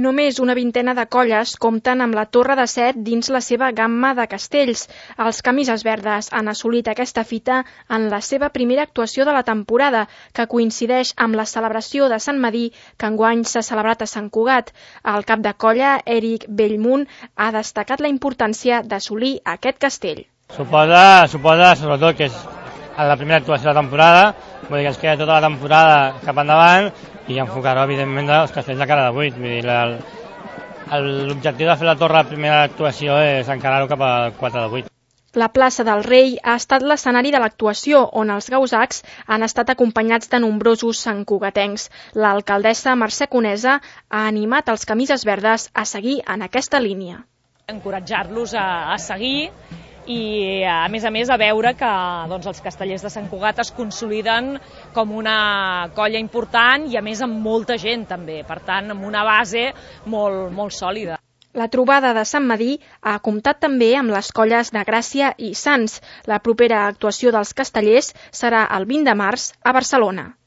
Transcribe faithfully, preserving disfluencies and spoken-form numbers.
Només una vintena de colles compten amb la Torre de Set dins la seva gamma de castells. Els Camises Verdes han assolit aquesta fita en la seva primera actuació de la temporada, que coincideix amb la celebració de Sant Medir, que enguany s'ha celebrat a Sant Cugat. El cap de colla, Eric Bellmunt, ha destacat la importància d'assolir aquest castell. Suposa, suposa sobretot que és la primera actuació de la temporada, vull dir que ens queda tota la temporada cap endavant i enfocar-ho, evidentment, dels castells de cara de vuit. Vull dir, l'objectiu de fer la torre la primera actuació és encarar-ho cap a quatre de vuit. La plaça del Rei ha estat l'escenari de l'actuació, on els gausacs han estat acompanyats de nombrosos santcugatencs. L'alcaldessa Mercè Conesa ha animat els Camises Verdes a seguir en aquesta línia. Encoratjar-los a, a seguir i, a més a més, a veure que doncs, els castellers de Sant Cugat es consoliden com una colla important i, a més, amb molta gent, també. Per tant, amb una base molt, molt sòlida. La trobada de Sant Medir ha comptat també amb les colles de Gràcia i Sants. La propera actuació dels castellers serà el vint de març a Barcelona.